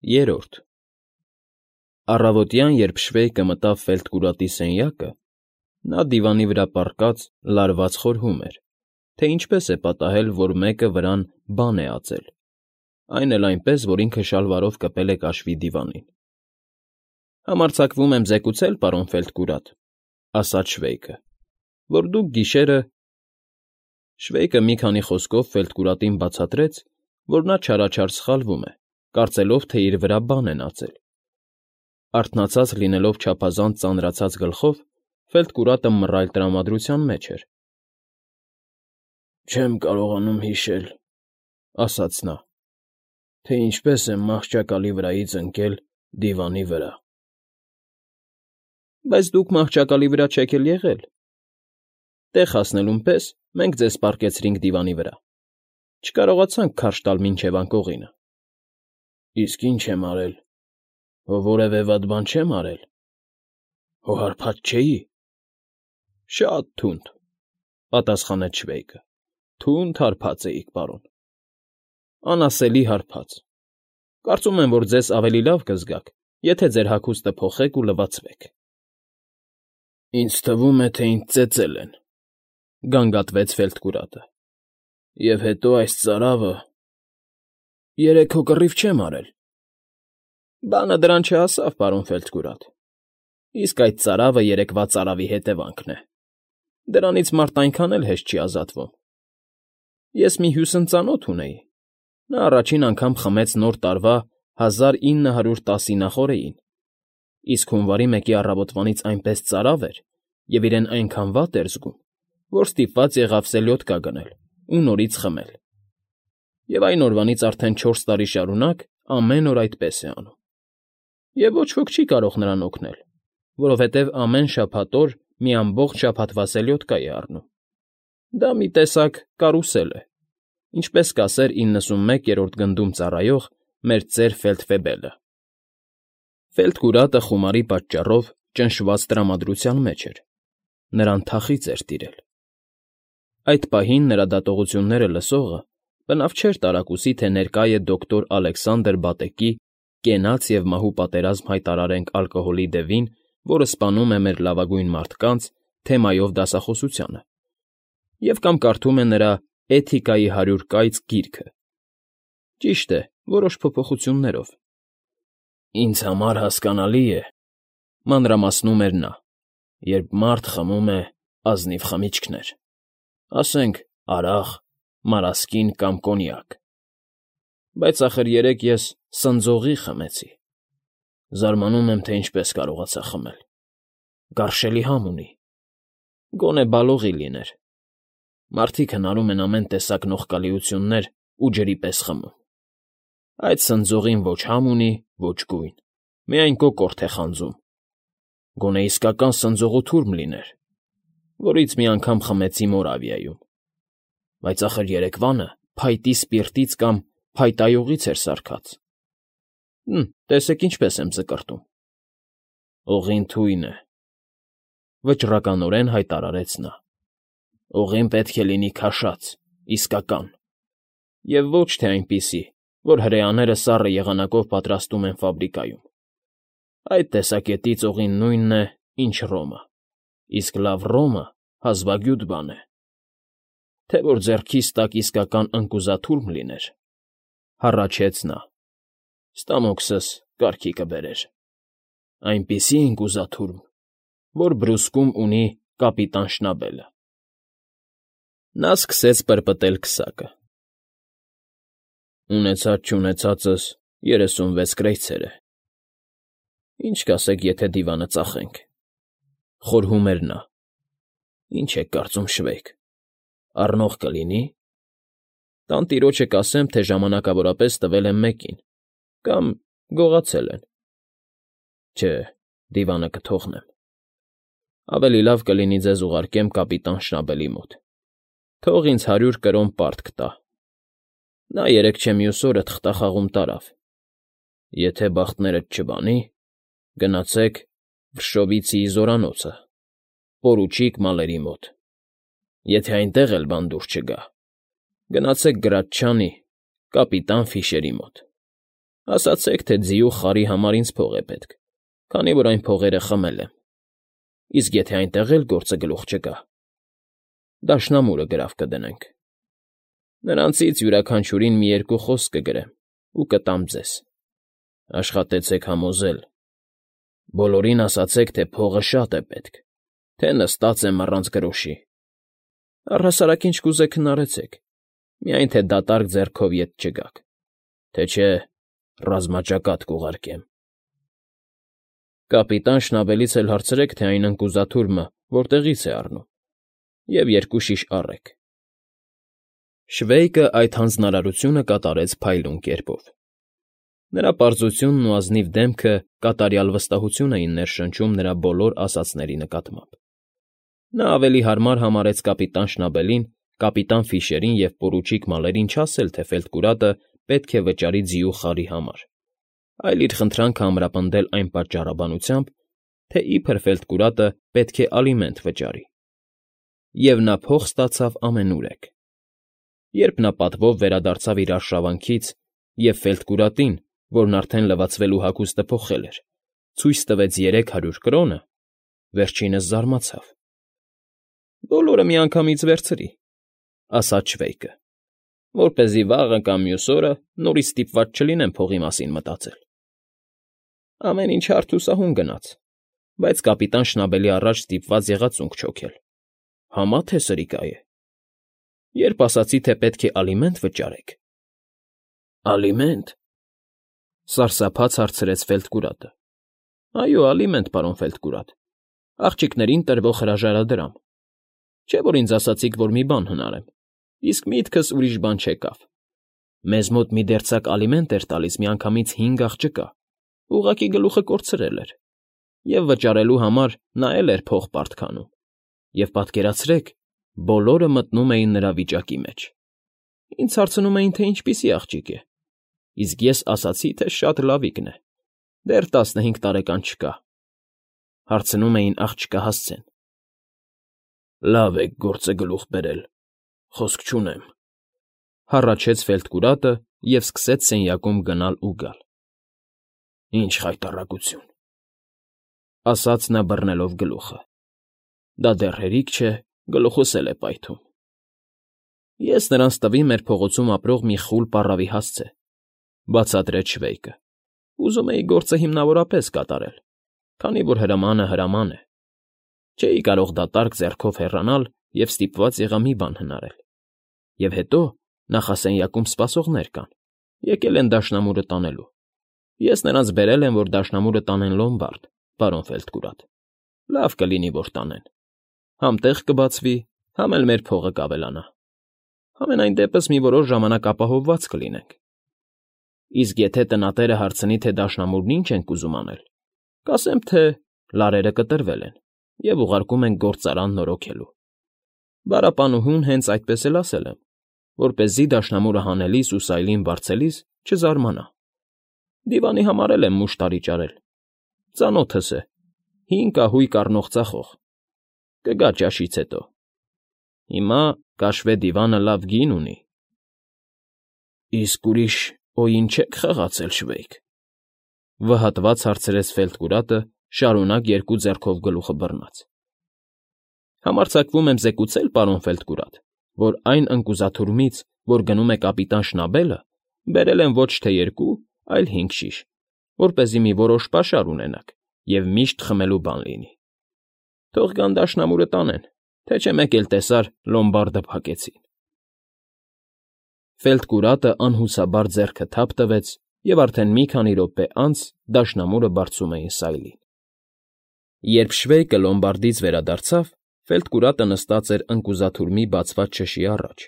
Երրորդ Առավոտյան, երբ Շվեյկը մտավ ֆելդկուրատի սենյակը, նա դիվանի վրա պառկած լարված խորհում էր, թե ինչպես է պատահել, որ մեկը վրան բան է ածել, այն էլ այնպես, որ ինքը շալվարով կպել է կաշվի դիվանին։ ֊ Համարձակվում եմ զեկուցել, պարոն Ֆելդկուրատ, ասաց Շվեյկը, որ դուք գիշերը… Շվեյկը մի քանի խոսքով Ֆելդկուրատին բացատրեց, որ նա չարաչար սխալվում է, կարծելով, թե իր վրա բան են ածել։ Արթնացած լինելով չափազանց ծանրացած գլխով, Ֆելդկուրատը մռայլ տրամադրության մեջ էր։ ֊ Չեմ կարողանում հիշել, ֊ ասաց նա, ֊ թե ինչպես եմ մահճակալի վրայից ընկել դիվանի վրա։ ֊ Բայց դուք մահճակալի վրա չեք էլ եղել… Տեղ հասնելուն պես մենք ձեզ պառկեցրինք դիվանի վրա, չկարողացանք քարշ տալ մինչև անկողինը։ ֊ Իսկ ի՞նչ եմ արել, հո որևէ վատ բան չեմ արել, հո հարբած չէի։ ֊ Շատ թունդ, ֊ պատասխանեց Շվեյկը, ֊ թունդ հարբած էիք, պարոն, անասելի հարբած… Կարծում եմ, որ ձեզ ավելի լավ կզգաք, եթե ձեր հագուստը փոխեք ու լվացվեք։ ֊ Ինձ թվում է, թե ինձ ծեծել են, ֊ գանգատվեց Ֆելդկուրատը, ֊ և հետո այս ծարավը… Երեկ հո կռիվ չեմ արել։ ֊ Բանը դրան չհասավ, պարոն Ֆելդկուրատ, իսկ այդ ծարավը երեկվա ծարավի հետևանքն է… Դրանից մարդ այնքան էլ հեշտ չի ազատվում։ Ես մի հյուսն ծանոթ ունեի, նա առաջին անգամ խմեց Նոր տարվա 1910 նախօրեին, իսկ հունվարի 1-ի առավոտվանից այնպես ծարավ էր և իրեն այնքան վատ էր զգում, որ ստիպված եղավ սելյոդկա գնել ու նորից խմել։ Եվ այն օրվանից արդեն 4 տարի շարունակ ամեն օր այդպես է անում։ Եվ ոչ ոք չի կարող նրան օգնել, որովհետև ամեն շաբաթ օր մի ամբողջ շաբաթվա սելյոդկա է առնում։ Դա մի տեսակ կարուսել է, ինչպես կասեր 91-րդ գնդում ծառայող մեր ծեր Ֆեյլդֆեբելը։ Ֆելդկուրատը խումարի պատճառով ճնշված տրամադրության մեջ էր, նրան թախիծ էր տիրել։ Այդ պահին նրա դատողությունները լսողը բնավ չէր տարակուսի, թե ներկա է դոկտոր Ալեքսանդր Բատեկի «Կենաց և մահու պատերազմ հայտարարենք ալկոհոլի դևին, որը սպանում է մեր լավագույն մարդկանց» թեմայով դասախոսությանը, և կամ կարդում է նրա «Էթիկայի 100 կայծ» գիրքը։ Ճիշտ է, որոշ փոփոխություններով։ Ինձ համար հասկանալի է, ֊ մանրամասնում էր նա, ֊ երբ մարդ խմում է ազնիվ խմիչքներ, ասենք արաղ, մարասկին կամ կոնյակ, բայց ախր երեկ ես սնձողի խմեցի, զարմանում եմ, թե ինչպես կարողացա խմել, գարշելի համ ունի, գոնե բալողի լիներ, մարդիկ հնարում են ամեն տեսակ նողկալիություններ ու ջրի պես խմում, այդ սնձողին ոչ համ ունի, ոչ գույն, միայն կոկորդ է խանձում, գոնե իսկական սնձողու թուրմ լիներ, որից մի անգամ խմեցի Մորավիայում, բայց ախր երեկվանը փայտի սպիրտից կամ փայտայողից էր սարքած։ Տեսեք ինչպես եմ ճկրտում։ Օղին թույն է, ֊ վճռականորեն հայտարարեց նա, ֊ օղին պետք է լինի քաշած, իսկական, և ոչ թե այնպիսի, որ հրեաները սառը եղանակով պատրաստում են ֆաբրիկայում։ Այդ տեսակետից օղին նույնն է, ինչ ռոմը, իսկ լավ ռոմը հազվագյուտ բան է։ Թե որ ձեռքիս տակ իսկական ընկուզաթուրմ լիներ, ֊ հառաչեց նա, ֊ ստամոքսս կարգի կբերեր, այնպիսի ընկուզաթուրմ, որ բռուսկում ունի կապիտան Շնաբելը։ Նա սկսեց պրպտել քսակը։ Ունեցած֊չունեցածս 36 կրեյցեր է։ Ինչ կասեք, եթե դիվանը ծախենք, ֊ խորհում էր նա։ Ինչ եք կարծում, Շվեյկ, առնող կլինի։ Տանտիրոջը կասեմ, թե ժամանակավորապես տվել եմ մեկին, կամ գողացել են։ Չէ, դիվանը կթողնեմ։ Ավելի լավ կլինի ձեզ ուղարկեմ կապիտան Շնաբելի մոտ, թող ինձ 100 կրոն պարտ կտա։ Նա երեկ չէ մյուս օրը թղթախաղում տարավ։ Եթե բախտներդ չբանի, գնացեք Վրշովիցիի զորանոցը, պորուչիկ Մալերի մոտ։ Եթե այնտեղ էլ բան դուր չգա, գնացեք Գրաչչանի, կապիտան Ֆիշերի մոտ։ Ասացեք, թե ձիու խարի համար ինձ փող է պետք, քանի որ այն փողերը խմել եմ, իսկ եթե այնտեղ էլ գործը գլուխ չգա, դաշնամուրը գրավ կդնենք. նրանցից յուրաքանչյուրին մի երկու խոսք կգրեմ ու կտամ ձեզ. աշխատեցեք համոզել, բոլորին ասացեք, թե փողը շատ է պետք, թե նստած եմ առանց գրոշի, առհասարակ ինչ կուզեք հնարեցեք, միայն թե դատարկ ձեռքով ետ չգաք, թե չէ ռազմաճակատ կուղարկեմ։ Կապիտան Շնաբելից էլ հարցրեք, թե այն ընկուզաթուրմը որտեղից է առնում, և 2 շիշ առեք։ Շվեյկը այդ հանձնարարությունը կատարեց փայլուն կերպով։ Նրա պարզությունն ու ազնիվ դեմքը կատարյալ վստահություն էին ներշնչում նրա բոլոր ասածների նկատմամբ։ Նա ավելի հարմար համարեց կապիտան Շնաբելին, կապիտան Ֆիշերին և պորուչիկ Մալերին չասել, թե Ֆելտկուրատը պետք է վճարի ձիու խարի համար, այլ իր խնդրանքը ամրապնդել այն պատճառաբանությամբ, թե իբր Ֆելտկուրատը պետք է ալիմենտ վճարի։ Եվ նա փող ստացավ ամենուրեք։ Երբ նա պատվով վերադարձավ իր արշավանքից և Ֆելտկուրատին, որն արդեն լվացվելու հագուստը փոխել էր, ցույց տվեց 300 կրոնը, վերջինս զարմացավ։ «Բոլորը միանգամից վերցրի», ասաց Շվեյկը, «որպեսզի վաղը կամ մյուս օրը նորից ստիպված չլինեմ փողի մասին մտածել»։ Ամեն ինչ հարթ ու սահուն գնաց, բայց կապիտան Շնաբելի առաջ ստիպված եղածունք չոքել։ Համա թե սրիկա է։ Երբ ասացի, թե պետք է ալիմենտ վճարեք։ «Ալիմենտ», սարսափած հարցրեց Ֆելտկուրատը։ «Այո, ալիմենտ, պարոն Ֆելտկուրատ, աղջիկներին տրվող հրաժարադրամ։ Չէ՞ որ ինձ ասացիք, որ մի բան հնարեմ, իսկ միտքս ուրիշ բան չեկավ։ Մեզ մոտ մի դերձակ ալիմենտ էր տալիս միանգամից 5 աղջկա, ուղղակի գլուխը կորցրել էր, և վճարելու համար նա էլ էր փող պարտքանում, և պատկերացրեք, բոլորը մտնում էին նրա վիճակի մեջ։ Ինձ հարցնում էին, թե ինչպիսի աղջիկ է, իսկ ես ասացի, թե շատ լավիկն է, դեռ 15 տարեկան չկա։ Հարցնում էին աղջկա հասցեն։ «Լավ եք գործը գլուխ բերել, խոսք չունեմ», հառաչեց Ֆելտկուրատը և սկսեց սենյակում գնալ ու գալ։ «Ինչ խայտառակություն», ասաց նա բռնելով գլուխը։ «Դա դեռ հերիք չէ, գլուխս էլ է պայթում»։ «Ես նրանց տվի մեր փողոցում ապրող մի խուլ պառավի հասցե», բացատրեց Շվեյկը։ «Ուզում էի գործը հիմնավորապես կատարել, քանի որ հրամանը հրաման է։ Չէի կարող դատարկ ձեռքով հեռանալ և ստիպված եղա մի բան հնարել։ Եվ հետո նախասենյակում սպասողներ կան, եկել են դաշնամուրը տանելու։ Ես նրանց բերել եմ, որ դաշնամուրը տանեն լոմբարդ, պարոն Ֆելտկուրատ։ Լավ կլինի, որ տանեն։ Համ տեղ կբացվի, համ էլ մեր փողը կավելանա։ Համենայն դեպս մի որոշ ժամանակ ապահովված կլինենք։ Իսկ եթե տնատերը հարցնի, թե դաշնամուրն ինչ ենք ուզում անել, կասեմ, թե լարերը կտրվել են և ուղարկում ենք գործարան նորոգելու։ Բարապանուհուն հենց այդպես էլ ասել եմ, որպեսզի դաշնամուրը հանելիս ու սայլին բարձելիս չզարմանա։ Դիվանի համար էլ եմ մուշտարի ճարել։ Ծանոթս է, 5 կահույք առնող ծախող։ Կգա ճաշից հետո։ Հիմա կաշվե դիվանը լավ գին ունի։ Իսկ ուրիշ օին չեք խաղացել, Շվեյկ, վհատված հարցրեց Ֆելտկուրատը, շարունակ 2 ձեռքով գլուխը բռնած։ Համարձակվում եմ զեկուցել, պարոն Ֆելտկուրատ, որ այն ընկուզաթուրմից, որ գնում է կապիտան Շնաբելը, բերել եմ ոչ թե 2, այլ 5 շիշ, որպեսզի մի որոշ պաշար ունենաք և միշտ խմելու բան լինի։ Թող գան դաշնամուրը տանեն, թե չէ մեկ էլ տեսար լոմբարդը փակեցին։ Ֆելտկուրատը անհուսաբար ձեռքը թափ տվեց, և արդեն մի քանի րոպե անց դաշնամուրը բարձում էին սայլին։ Երբ Շվեյկը լոմբարդից վերադարձավ, Ֆելտկուրատը նստած էր ընկուզաթուրմի բացված չշի առաջ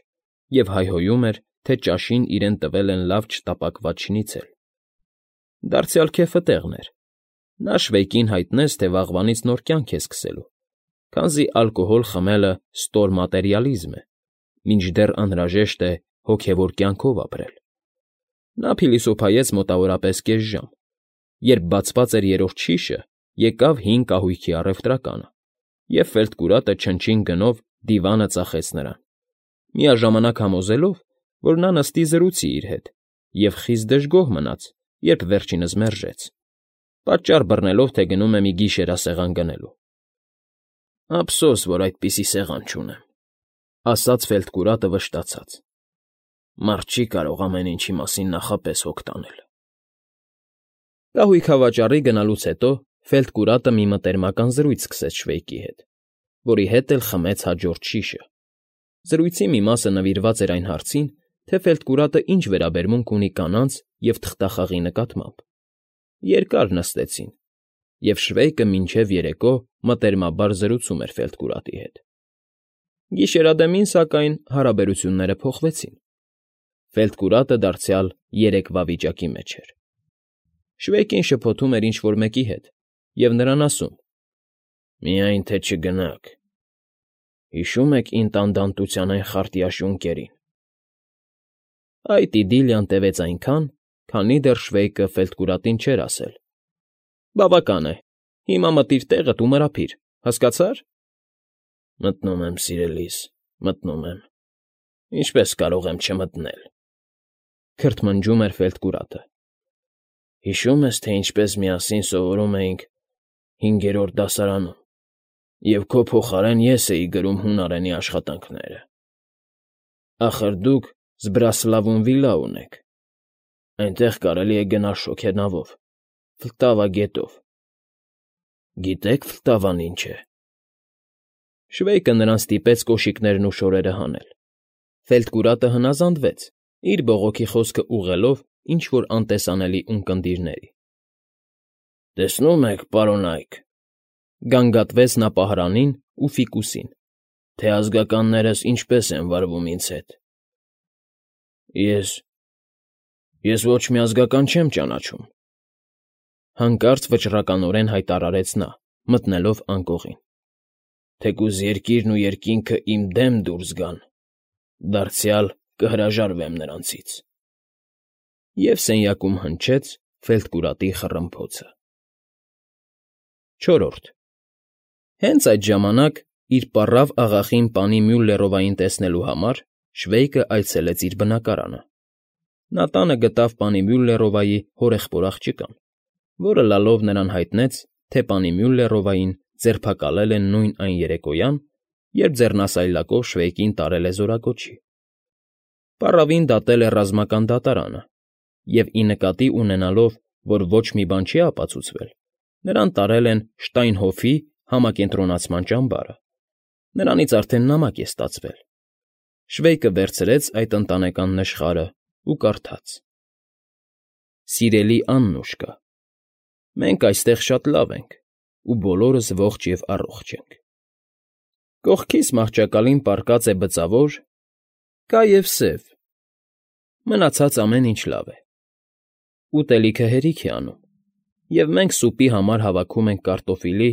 և հայհոյում էր, թե ճաշին իրեն տվել են լավ չտապակված շնիցել։ Դարձյալ քեֆը տեղն էր։ Նա Շվեյկին հայտնեց, թե վաղվանից նոր կյանք է սկսելու, քանզի ալկոհոլ խմելը ստոր մատերիալիզմ է, մինչդեռ անհրաժեշտ է հոգևոր կյանքով ապրել։ Նա փիլիսոփայեց մոտավորապես կես ժամ։ Երբ բացված էր 3-րդ շիշը, եկավ 5 կահույքի առևտրականը, և Ֆելտկուրատը չնչին գնով դիվանը ծախեց նրան, միաժամանակ համոզելով, որ նա նստի զրուցի իր հետ, և խիստ դժգոհ մնաց, երբ վերջինս մերժեց, պատճառ բռնելով, թե գնում է մի գիշերասեղան գնելու։ «Ափսոս, որ այդպիսի սեղան չունեմ», ասաց Ֆելտկուրատը վշտացած։ «Մարդ չի կարող ամեն ինչի մասին նախապես հոգ տանել»։ Կահույքավաճառի գնալուց հետո Ֆելտկուրատը մի մտերմական զրույց սկսեց Շվեյկի հետ, որի հետ էլ խմեց հաջորդ շիշը։ Զրույցի մի մասը նվիրված էր այն հարցին, թե Ֆելտկուրատը ինչ վերաբերմունք ունի կանանց և թղթախաղի նկատմամբ։ Երկար նստեցին, և Շվեյկը մինչև երեկո մտերմաբար զրուցում էր Ֆելտկուրատի հետ։ Գիշերադեմին, սակայն, հարաբերությունները փոխվեցին։ Ֆելտկուրատը դարձյալ երեկվա վիճակի մեջ էր։ Շվեյկին շփոթում էր ինչ֊որ մեկի հետ և նրան ասում. «Միայն թե չգնաք։ Հիշո՞ւմ եք ինտանդանտության այն խարտյաշուն կերին»։ Այդ իդիլիան տևեց այնքան, քանի դեռ Շվեյկը Ֆելտկուրատին չէր ասել. «Բավական է, հիմա մտիր տեղդ ու մրափիր, հասկացա՞ր»։ «Մտնում եմ, սիրելիս, մտնում եմ։ Ինչպե՞ս կարող եմ չմտնել», քրթմնջում էր Ֆելտկուրատը։ «Հիշո՞ւմ ես, թե ինչպես միասին սովորում էինք 5-րդ դասարանում, և քո փոխարեն ես էի գրում հունարենի աշխատանքները։ Ախր դուք Զբրասլավում վիլա ունեք, այնտեղ կարելի է գնալ շոգենավով, Վլտավա գետով։ Գիտե՞ք Վլտավան ինչ է»։ Շվեյկը նրան ստիպեց կոշիկներն ու շորերը հանել։ Ֆելտկուրատը հնազանդվեց, իր բողոքի խոսքը ուղղելով ինչ֊որ անտեսանելի ունկնդիրների։ «Տեսնում եք, պարոն Այք,֊ գանգատվեց նա պահարանին ու Ֆիկուսին,֊ թե ազգականներս ինչպես են վարվում ինձ հետ։ Ես ոչ մի ազգական չեմ ճանաչում,֊ հանկարծ վճռականորեն հայտարարեց նա, մտնելով անկողին։ «Թեկուզ երկիրն ու երկինքը իմ դեմ դուրս գան, դարձյալ կհրաժարվեմ նրանցից»։ Եվ սենյակում հնչեց Ֆելտկուրատի խռմփոցը։ 4. Հենց այդ ժամանակ, իր պառավ աղախին պանի Մյուլլերովային տեսնելու համար, Շվեյկը այցելեց իր բնակարանը։ Նա տանը գտավ պանի Մյուլլերովայի հորեղբոր աղջկան, որը լալով նրան հայտնեց, թե պանի Մյուլլերովային ձերբակալել են նույն այն երեկոյան, երբ ձեռնասայլակով Շվեյկին տարել է զորակոչի։ Պառավին դատել է ռազմական դատարանը, և ի նկատի ունենալով, որ ոչ մի բան չի ապացուցվել, նրան տարել են Շտայնհոֆի համակենտրոնացման ճամբարը։ Նրանից արդեն նամակ է ստացվել։ Շվեյկը վերցրեց այդ ընտանեկան նշխարը ու կարդաց. «Սիրելի Աննուշկա, մենք այստեղ շատ լավ ենք ու բոլորս ողջ և առողջ ենք։ Կողքիս մահճակալին պառկած է բծավոր, կա և սև, մնացած ամեն ինչ լավ է։ Ուտելիքը հերիք է անում, և մենք սուպի համար հավաքում ենք կարտոֆիլի։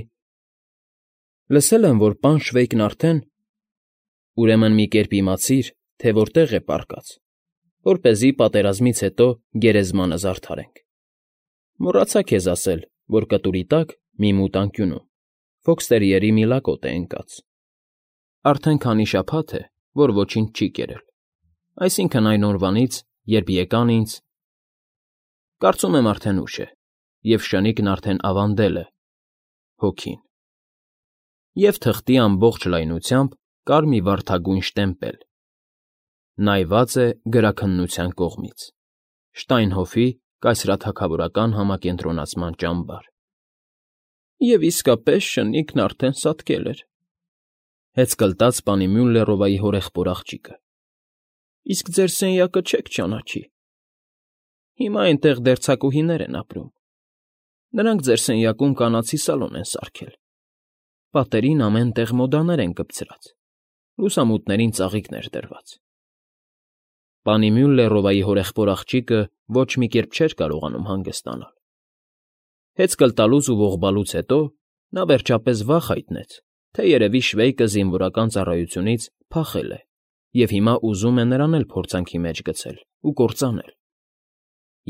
Լսել եմ, որ պան Շվեյկն արդեն… Ուրեմն մի կերպ իմացիր, թե որտեղ է պառկած, որպեսզի պատերազմից հետո գերեզմանը զարդարենք։ Մոռացա քեզ ասել, որ կտուրի տակ, մի մութ անկյունում, ֆոքսթերիերի մի լակոտ է ընկած։ Արդեն քանի շաբաթ է, որ ոչինչ չի կերել, այսինքն այն օրվանից, երբ եկան ինձ… Կարծում եմ արդեն ուշ է, և շնիկն արդեն ավանդել է… հոգին։ Եվ թղթի ամբողջ լայնությամբ կար մի վարդագույն շտեմպել. նայված է գրաքննության կողմից, Շտայնհոֆի կայսրաթագավորական համակենտրոնացման ճամբար։ Եվ իսկապես շնիկն արդեն սատկել էր, հեծկլտաց պանի Մյուլլերովայի հորեղբոր աղջիկը։ Իսկ ձեր սենյակը չեք ճանաչի։ Հիմա այնտեղ դեռ ցակուհիներ են ապրում։ Նրանք ձեր սենյակում կանացի սալոն են սարքել։ Պատերին ամեն տեղ մոդաներ են կպցրած, լուսամուտներին ծաղիկներ դրված։ Պանի Մյուլլերովայի հորեղբոր աղջիկը ոչ մի կերպ չէր կարողանում հանգստանալ։ Հեծկլտալուց ու ողբալուց հետո նա վերջապես վախ հայտնեց, թե երևի Շվեյկը զինվորական ծառայությունից փախել է և հիմա ուզում է նրան էլ փորձանքի մեջ գցել ու կործանել։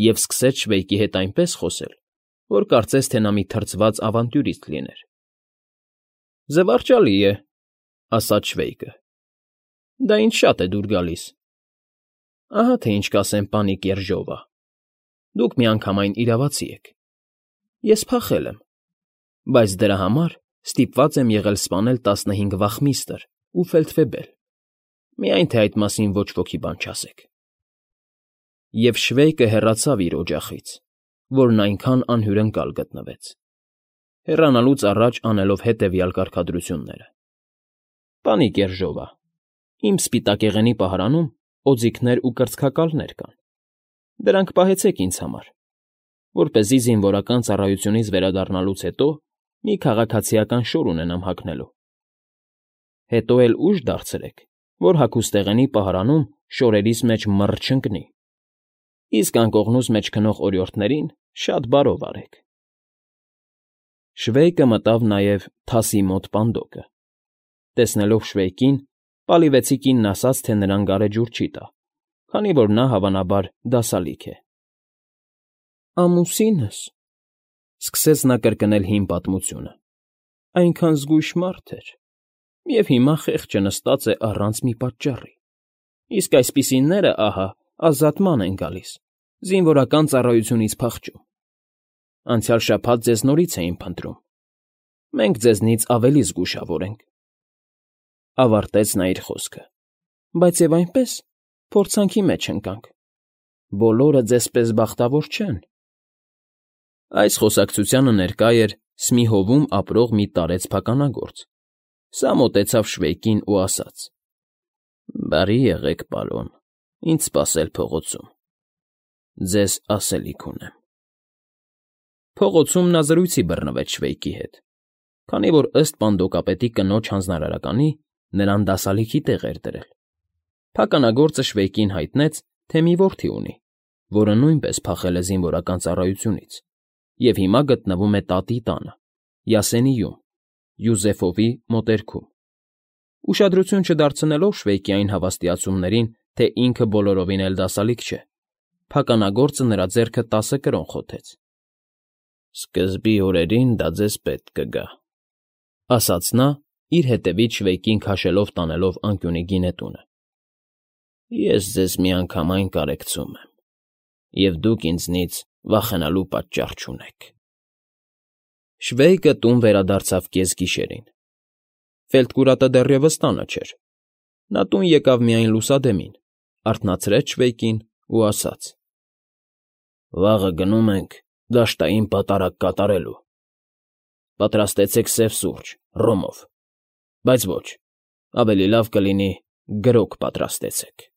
Եվ սկսեց Շվեյկի հետ այնպես խոսել, որ կարծես թե նա մի թրջված ավանտյուրիստ լիներ։ «Զվարճալի է,֊ ասաց Շվեյկը։֊ Դա ինձ շատ է դուր գալիս։ Ահա թե ինչ կասեմ պանի Կեռժովա։ Դուք միանգամայն իրավացի եք։ Ես փախել եմ, բայց դրա համար ստիպված եմ եղել սպանել 15 վախմիստր ու ֆելդվեբել, միայն թե այդ մասին ոչ ոքի բան չասեք։ Եվ Շվեյկը հեռացավ իր օջախից, որն այնքան անհյուրընկալ գտնվեց, հեռանալուց առաջ անելով հետևյալ կարգադրությունները. «Պանի Կերժովա, իմ սպիտակեղենի պահարանում օձիքներ ու կրծքակալներ կան։ Դրանք պահեցեք ինձ համար, որպեսզի զինվորական ծառայությունից վերադառնալուց հետո մի քաղաքացիական շոր ունենամ հագնելու։ Հետո էլ ուժ դարձրեք, որ հագուստեղենի պահարանում շորերիս մեջ մռ չընկնի, իսկ անկողնուս մեջ քնող օրիորդներին շատ բարով արեք»։ Շվեյկը մտավ նաև թասի մոտ պանդոկը։ Տեսնելով Շվեյկին, Պալիվեցի կինն ասաց, թե նրան գարեջուր չի տա, քանի որ նա, հավանաբար, դասալիկ է։ «Ամուսինս,֊ սկսեց նա կրկնել հին պատմությունը,֊ այնքան զգույշ մարդ էր, և հիմա խեղճը նստած է առանց մի պատճառի, իսկ այսպիսիները, ահա, ազատման են գալիս, զինվորական ծառայությունից փախչում։ Անցյալ շաբաթ ձեզ նորից էին փնտրում, մենք ձեզնից ավելի զգուշավոր ենք», ավարտեց նա իր խոսքը։ «Բայց և այնպես փորձանքի մեջ ընկանք. բոլորը ձեզպես բախտավոր չեն»։ Այս խոսակցությանը ներկա էր Սմիհովում ապրող մի տարեց փականագործ։ Սա մոտեցավ Շվեյկին ու ասաց. «Բարի եղեք, պարոն, ինձ սպասել փողոցում. ձեզ ասելիք ունեմ»։ Փողոցում նա զրույցի բռնվեց Շվեյկի հետ, քանի որ ըստ պանդոկապետի կնոջ հանձնարարականի նրան դասալիքի տեղ էր դրել։ Փականագործը Շվեյկին հայտնեց, թե մի որդի ունի, որը նույնպես փախել է զինվորական ծառայությունից և հիմա գտնվում է տատի տանը, Յասենիում, Յուզեֆովի մոտերքում։ Ուշադրություն չդարձնելով Շվեյկի այն հավաստիացումներին, թե ինքը բոլորովին էլ դասալիկ չէ, փականագործը նրա ձեռքը 10 կրոն խոթեց։ «Սկզբի օրերին դա ձեզ պետք կգա», ասաց նա, իր հետևից Շվեյկին քաշելով տանելով անկյունի գինետունը։ «Ես ձեզ միանգամայն կարեկցում եմ, և դուք ինձնից վախենալու պատճառ չունեք»։ Շվեյկը տուն վերադարձավ կեսգիշերին։ Ֆելդկուրատը դեռևս տանը չէր։ Նա տուն եկավ միայն լուսադեմին, արթնացրեց Շվեյկին ու ասաց. «Վաղը գնում ենք դաշտային պատարագ կատարելու։ Պատրաստեցեք սև սուրճ, ռոմով, բայց ոչ, ավելի լավ կլինի գրոգ պատրաստեցեք»։